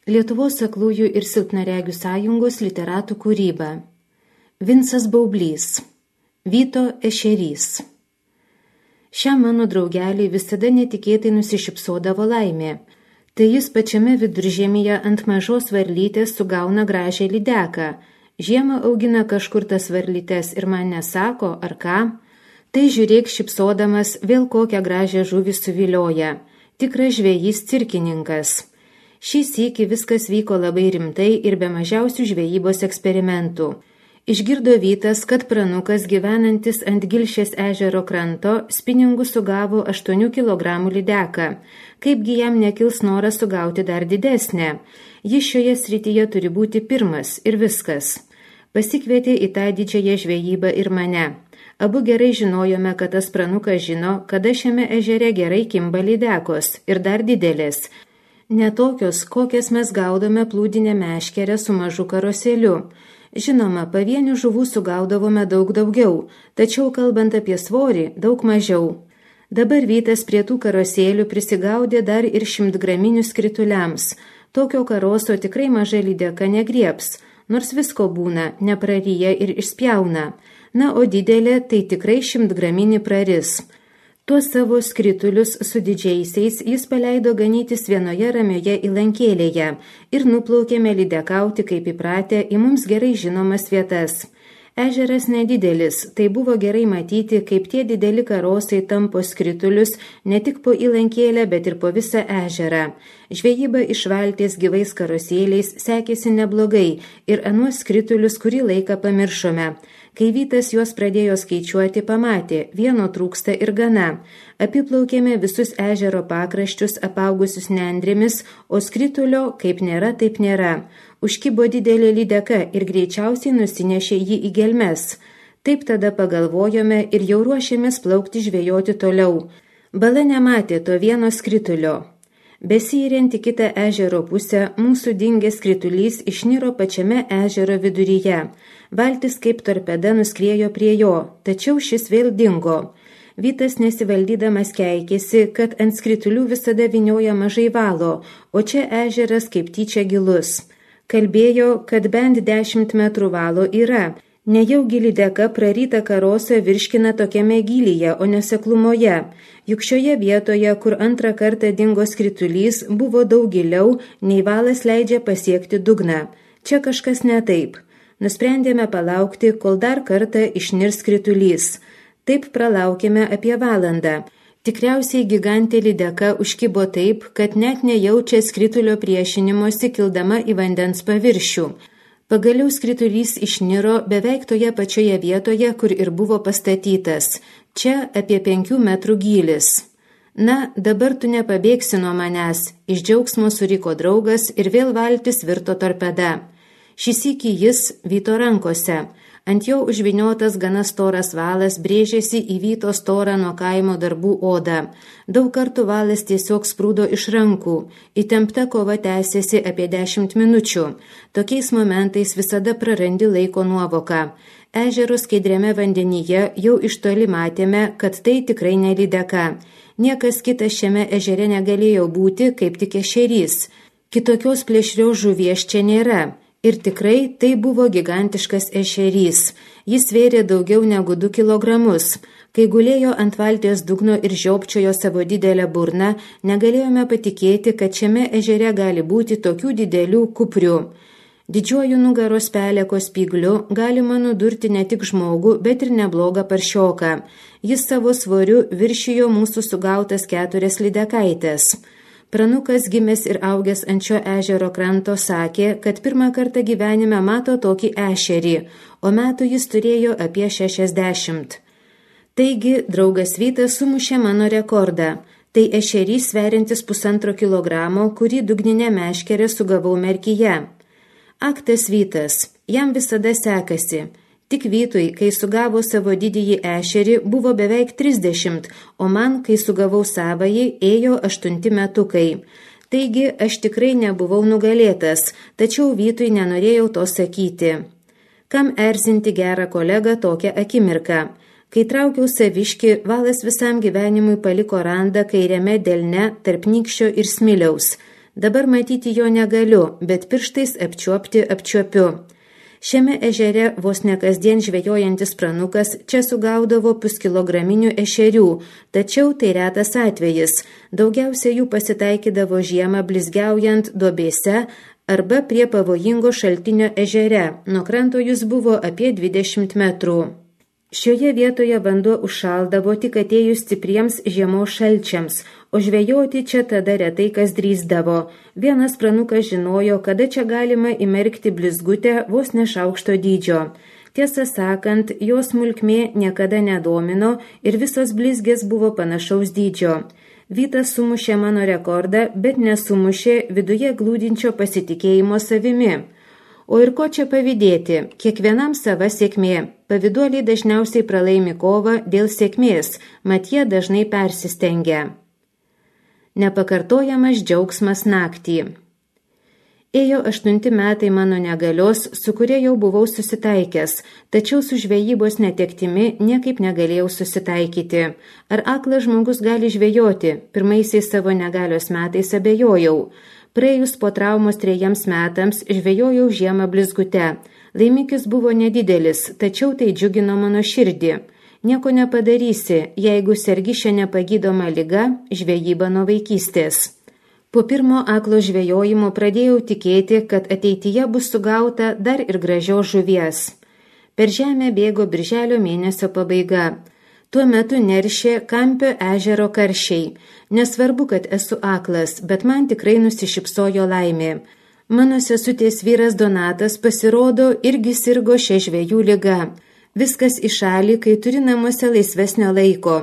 Lietuvos aklųjų ir silpnaregių sąjungos literatų kūryba. Vincas Baublys. Vyto ešerys. Šiam mano draugelį visada netikėtai nusišypsodavo laimė. Tai jis pačiame viduržemyje ant mažos varlytės sugauna gražią lydeką. Žiemą augina kažkur tas varlytes ir man nesako, ar ką. Tai žiūrėk šypsodamas vėl kokią gražią žuvį suvilioja. Tikras žvejys cirkininkas. Šį sykį viskas vyko labai rimtai ir be mažiausių žvejybos eksperimentų. Išgirdo Vytas, kad pranukas gyvenantis ant Gilšės ežero kranto spiningų sugavo 8 kg lydeką. Kaipgi jam nekils noras sugauti dar didesnę? Jis šioje srityje turi būti pirmas ir viskas. Pasikvietė į tą didžiąją žvejybą ir mane. Abu gerai žinojome, kad tas pranukas žino, kada šiame ežere gerai kimba lydekos ir dar didelės. Ne tokios, kokias mes gaudome plūdinę meškerę su mažu karosėliu. Žinoma, pavienių žuvų sugaudavome daug daugiau, tačiau kalbant apie svorį, daug mažiau. Dabar Vytas prie tų karosėlių prisigaudė dar ir 100-graminius krituliams. Tokio karoso tikrai maža lydeka negrieps, nors visko būna, nepraryja ir išspjauna. Na, o didelė tai tikrai 100-graminį praris. Tuos savo skritulius su didžiaisiais jis paleido ganytis vienoje ramioje įlankėlėje ir nuplaukėme lydekauti kaip įpratę į mums gerai žinomas vietas. Ežeras nedidelis, tai buvo gerai matyti, kaip tie dideli karosai tampo skritulius ne tik po įlankėlę, bet ir po visą ežerą. Žvejyba iš valties gyvais karosėliais sekėsi neblogai ir anuos skritulius kurį laiką pamiršome. Kai Vytas juos pradėjo skaičiuoti, pamatė, vieno trūksta ir gana. Apiplaukėme visus ežero pakraščius apaugusius nendrėmis, o skritulio kaip nėra, taip nėra. Užkibo didelė lydeka ir greičiausiai nusinešė jį į gelmes. Taip tada pagalvojome ir jau ruošėmės plaukti žvejoti toliau. Bala nematė to vieno skritulio. Besiiriant į kitą ežero pusę, mūsų dingęs skritulys išniro pačiame ežero viduryje. Valtis kaip torpeda nuskriejo prie jo, tačiau šis vėl dingo. Vytas nesivaldydamas keikėsi, kad ant skritulių visada vynioja mažai valo, o čia ežeras kaip tyčia gilus. Kalbėjo, kad bent 10 metrų valo yra. Nejaugi lydeka prarytą karosą virškina tokiame gylyje, o neseklumoje. Juk šioje vietoje, kur antrą kartą dingo skritulys, buvo daug giliau, nei valas leidžia pasiekti dugną. Čia kažkas ne taip. Nusprendėme palaukti, kol dar kartą išnirs skritulys. Taip pralaukėme apie valandą. Tikriausiai gigantė lydeka užkibo taip, kad net nejaučia skritulio priešinimosi kildama į vandens paviršių. Pagaliau skritulys išniro beveik toje pačioje vietoje, kur ir buvo pastatytas. Čia apie 5 metrų gylis. Na, dabar tu nepabėgsi nuo manęs, iš džiaugsmo suriko draugas ir vėl valtis virto torpeda. Šį sykį jis Vyto rankose. Ant jo užviniotas gana storas valas brėžėsi į Vyto storą nuo kaimo darbų odą. Daug kartų valas tiesiog sprūdo iš rankų. Įtempta kova tęsėsi apie 10 minučių. Tokiais momentais visada prarandi laiko nuovoką. Ežero skaidriame vandenyje jau iš toli matėme, kad tai tikrai ne lydeka. Niekas kitas šiame ežere negalėjo būti, kaip tik ešerys. Kitokios plėšrios žuvies čia nėra. Ir tikrai tai buvo gigantiškas ešerys. Jis svėrė daugiau negu 2 kilogramus. Kai gulėjo ant valties dugno ir žiopčiojo savo didelę burną, negalėjome patikėti, kad šiame ežere gali būti tokių didelių kuprių. Didžiuoju nugaros peleko spygliu galima nudurti ne tik žmogų, bet ir neblogą paršioką. Jis savo svoriu viršijo mūsų sugautas 4 lydekaitės. Pranukas gimęs ir augęs ant šio ežero kranto sakė, kad pirmą kartą gyvenime mato tokį ešerį, o metų jis turėjo apie 60. Taigi, draugas Vytas sumušė mano rekordą. Tai ešerys sveriantis 1,5 kilogramo, kurį dugninę meškerę sugavau Merkyje. Aktas Vytas, jam visada sekasi. Tik Vytui, kai sugavo savo didįjį ešerį, buvo beveik 30, o man, kai sugavau savąjį, ėjo 8 metukai. Taigi, aš tikrai nebuvau nugalėtas, tačiau Vytui nenorėjau to sakyti. Kam erzinti gerą kolegą tokią akimirką? Kai traukiau saviškį, valas visam gyvenimui paliko randą kairiame delne tarp nykščio ir smiliaus. Dabar matyti jo negaliu, bet pirštais apčiuopiu. Šiame ežere vos ne kasdien žvejojantis pranukas čia sugaudavo puskilograminių ešerių, tačiau tai retas atvejis. Daugiausia jų pasitaikydavo žiemą blizgiaujant duobėse arba prie pavojingo šaltinio ežere. Nuo kranto jis buvo apie 20 metrų. Šioje vietoje vanduo užšaldavo tik atėjus stipriems žiemos šalčiams, o žvejoti čia tada retai kas drįsdavo. Vienas pranukas žinojo, kada čia galima įmerkti blizgutę vos ne šaukšto dydžio. Tiesą sakant, jos smulkmė niekada nedomino ir visos blizgės buvo panašaus dydžio. Vytas sumušė mano rekordą, bet nesumušė viduje glūdinčio pasitikėjimo savimi. O ir ko čia pavydėti, kiekvienam sava sėkmė. Pavyduoliai dažniausiai pralaimi kovą dėl sėkmės, mat jie dažnai persistengia. Nepakartojamas džiaugsmas naktį. Ėjo 8 metai mano negalios, su kuria jau buvau susitaikęs, tačiau su žvejybos netektimi niekaip negalėjau susitaikyti. Ar aklas žmogus gali žvejoti? Pirmaisiais savo negalios metais abejojau. Praėjus po traumos 3 metams žvejojau žiemą blizgute. Laimikis buvo nedidelis, tačiau tai džiugino mano širdį. Nieko nepadarysi, jeigu sergi šia nepagydoma liga, žvejyba nuo vaikystės. Po pirmo aklo žvejojimo pradėjau tikėti, kad ateityje bus sugauta dar ir gražios žuvies. Per žemę bėgo birželio mėnesio pabaiga. Tuo metu neršė Kampio ežero karšiai. Nesvarbu, kad esu aklas, bet man tikrai nusišypsojo laimė. Mano sesutės vyras Donatas pasirodo irgi sirgo šia žvejų liga. Viskas į šalį, kai turi namuose laisvesnio laiko.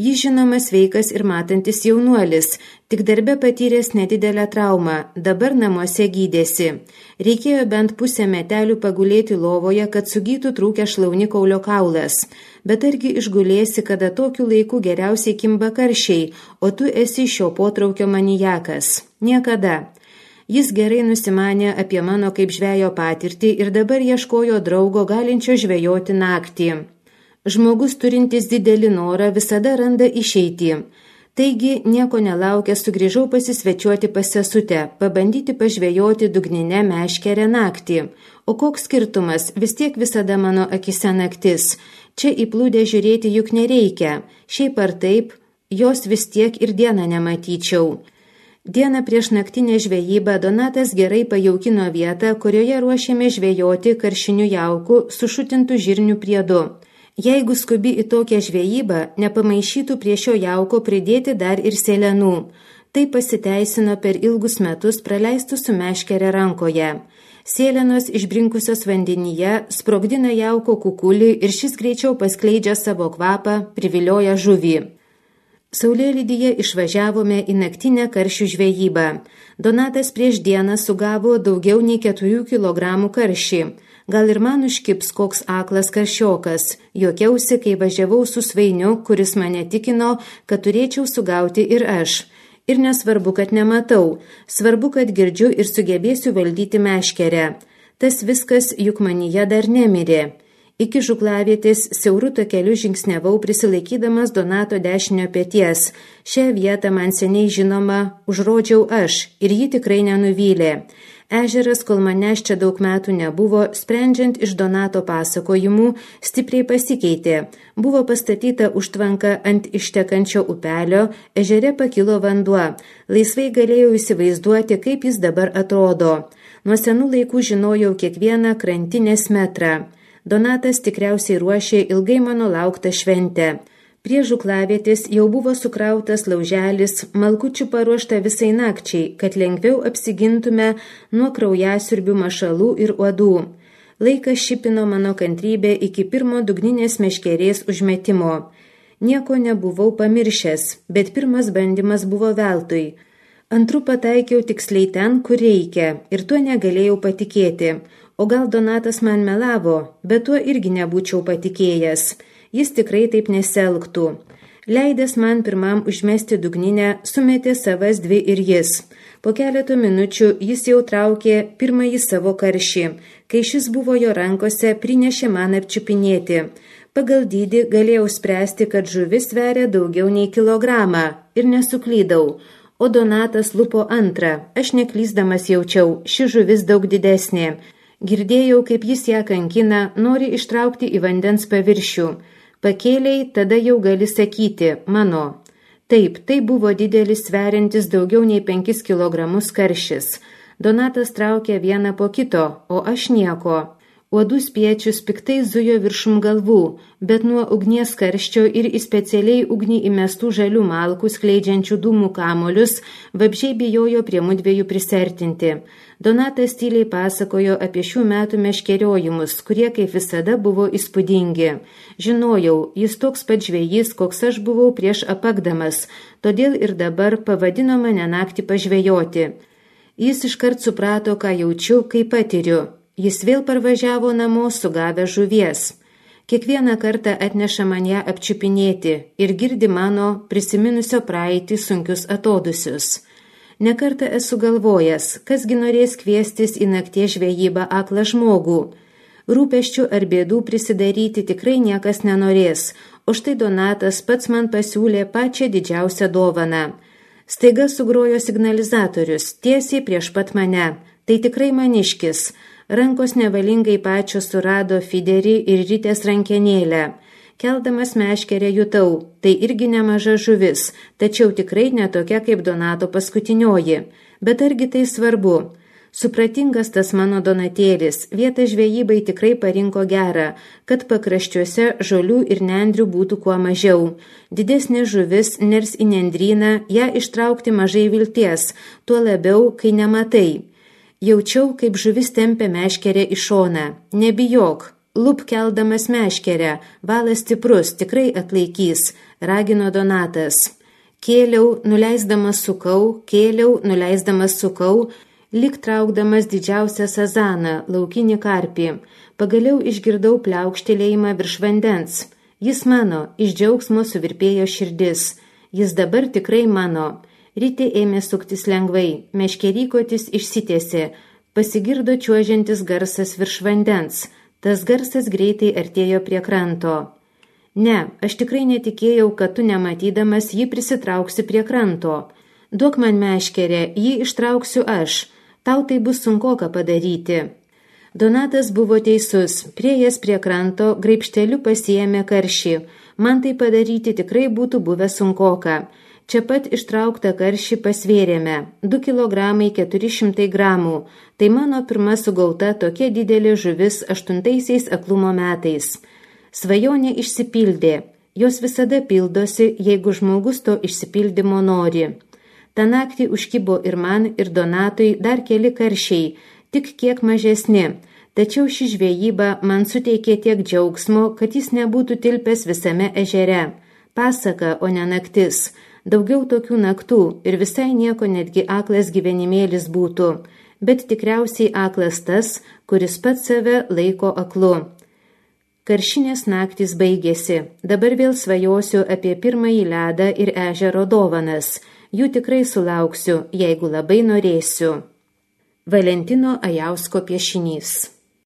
Jis žinoma sveikas ir matantis jaunuolis, tik darbe patyręs nedidelę traumą, dabar namuose gydėsi. Reikėjo bent pusę metelių pagulėti lovoje, kad sugytų trūkę šlaunikaulio kaulas. Bet argi išgulėsi, kada tokiu laiku geriausiai kimba karšiai, o tu esi šio potraukio manijakas? Niekada. Jis gerai nusimanė apie mano kaip žvejo patirtį ir dabar ieškojo draugo galinčio žvejoti naktį. Žmogus turintis didelį norą visada randa išeitį. Taigi, nieko nelaukę sugrįžau pasisvečiuoti pas sesutę, pabandyti pažvejoti dugninę meškerę naktį. O koks skirtumas, vis tiek visada mano akise naktis. Čia įplūdę žiūrėti juk nereikia. Šiaip ar taip, jos vis tiek ir dieną nematyčiau. Dieną prieš naktinę žvejybą Donatas gerai pajaukino vietą, kurioje ruošėme žvejoti karšinių jaukų su šutintų žirnių priedu. Jeigu skubi į tokią žvejybą, nepamaišytų prie šio jauko pridėti dar ir sėlenų. Tai pasiteisino per ilgus metus praleistų su meškere rankoje. Sėlenos išbrinkusios vandenyje sprogdina jauko kukulį ir šis greičiau paskleidžia savo kvapą, privilioja žuvį. Saulėlydyje išvažiavome į naktinę karšių žvejybą. Donatas prieš dieną sugavo daugiau nei 4 kilogramų karšį. Gal ir man užkips koks aklas karšiokas. Juokiausi, kai važiavau su Svainiu, kuris mane tikino, kad turėčiau sugauti ir aš. Ir nesvarbu, kad nematau. Svarbu, kad girdžiu ir sugebėsiu valdyti meškerę. Tas viskas juk manyje dar nemirė. Iki žuklavietės siauru takeliu žingsniavau prisilaikydamas Donato dešinio peties. Šią vietą man seniai žinoma užrodžiau aš ir ji tikrai nenuvylė. Ežeras, kol manęs čia daug metų nebuvo, sprendžiant iš Donato pasakojimų, stipriai pasikeitė. Buvo pastatyta užtvanka ant ištekančio upelio, ežere pakilo vanduo. Laisvai galėjau įsivaizduoti, kaip jis dabar atrodo. Nuo senų laikų žinojau kiekvieną krantinės metrą. Donatas tikriausiai ruošė ilgai mano lauktą šventę. Prie žuklavietės jau buvo sukrautas lauželis, malkučių paruošta visai nakčiai, kad lengviau apsigintume nuo kraujasiurbių mašalų ir uodų. Laikas šipino mano kantrybę iki pirmo dugninės meškerės užmetimo. Nieko nebuvau pamiršęs, bet pirmas bandymas buvo veltui. Antru pataikiau tiksliai ten, kur reikia, ir tuo negalėjau patikėti. O gal Donatas man melavo, bet tuo irgi nebūčiau patikėjęs. Jis tikrai taip nesielgtų. Leidęs man pirmam užmesti dugninę, sumetė savas 2 ir jis. Po keletų minučių jis jau traukė pirmąjį savo karšį. Kai šis buvo jo rankose, prinešė man apčiupinėti. Pagal dydį galėjau spręsti, kad žuvis sveria daugiau nei kilogramą ir nesuklydau. o Donatas lupo antrą. Aš neklysdamas jaučiau, ši žuvis daug didesnė. Girdėjau, kaip jis ją kankina, nori ištraukti į vandens paviršių. Pakėliai, tada jau gali sakyti, mano. Taip, tai buvo didelis sveriantis daugiau nei 5 kilogramus karšis. Donatas traukė vieną po kito, o aš nieko. Uodų spiečius piktai zujo viršum galvų, bet nuo ugnies karščio ir į specialiai ugnį įmestų žalių malkų skleidžiančių dūmų kamolius vabzdžiai bijojo prie mudviejų prisertinti. Donatas tyliai pasakojo apie šių metų meškeriojimus, kurie kaip visada buvo įspūdingi. Žinojau, jis toks pat žvejys, koks aš buvau prieš apakdamas, todėl ir dabar pavadino mane naktį pažvejoti. Jis iškart suprato, ką jaučiu, kai patiriu. Jis vėl parvažiavo namo sugavę žuvies. Kiekvieną kartą atneša man ją apčiupinėti ir girdi mano prisiminusio praeitį sunkius atodusius. Nekartą esu galvojęs, kasgi norės kviestis į nakties žvejybą aklą žmogų. Rūpesčių ar bėdų prisidaryti tikrai niekas nenorės, o štai Donatas pats man pasiūlė pačią didžiausią dovaną. Staiga sugrojo signalizatorius, tiesiai prieš pat mane. Tai tikrai maniškis. Rankos nevalingai pačios surado fiderį ir ritės rankenėlę. Keldamas meškerę jutau, tai irgi nemaža žuvis, tačiau tikrai netokia kaip Donato paskutinioji. Bet argi tai svarbu? Supratingas tas mano Donatėlis, vietą žvejybai tikrai parinko gerą, kad pakraščiuose žolių ir nendrių būtų kuo mažiau. Didesnė žuvis ners į nendryną, ją ištraukti mažai vilties, tuo labiau, kai nematai. Jaučiau, kaip žuvis tempia meškerę į šoną. Nebijok, lup keldamas meškerę, valas stiprus, tikrai atlaikys, ragino Donatas. Kėliau, nuleisdamas sukau, lyg traukdamas didžiausią sazaną, laukinį karpį. Pagaliau išgirdau pliaukštelėjimą virš vandens. Jis mano, iš džiaugsmo suvirpėjo širdis. Jis dabar tikrai mano. Rytė ėmė suktis lengvai, meškerykotis išsitiesė, pasigirdo čiuožiantis garsas virš vandens, tas garsas greitai artėjo prie kranto. Ne, aš tikrai netikėjau, kad tu nematydamas jį prisitrauksi prie kranto. Duok man meškerę, jį ištrauksiu aš, tau tai bus sunkoka padaryti. Donatas buvo teisus, priėjęs prie kranto, graibšteliu pasiėmė karšį, man tai padaryti tikrai būtų buvę sunkoka. Čia pat ištrauktą karšį pasvėrėme, 2 kg 400 gramų, tai mano pirma sugauta tokia didelė žuvis 8 aklumo metais. Svajonė išsipildė, jos visada pildosi, jeigu žmogus to išsipildymo nori. Ta naktį užkibo ir man, ir Donatui dar keli karšiai, tik kiek mažesni, tačiau ši žvejyba man suteikė tiek džiaugsmo, kad jis nebūtų tilpęs visame ežere. Pasaka, o ne naktis. Daugiau tokių naktų ir visai nieko netgi aklas gyvenimėlis būtų, bet tikriausiai aklas tas, kuris pats save laiko aklu. Karšinės naktys baigėsi, dabar vėl svajosiu apie pirmąjį ledą ir ežero dovanas, jų tikrai sulauksiu, jeigu labai norėsiu. Valentino Ajausko piešinys.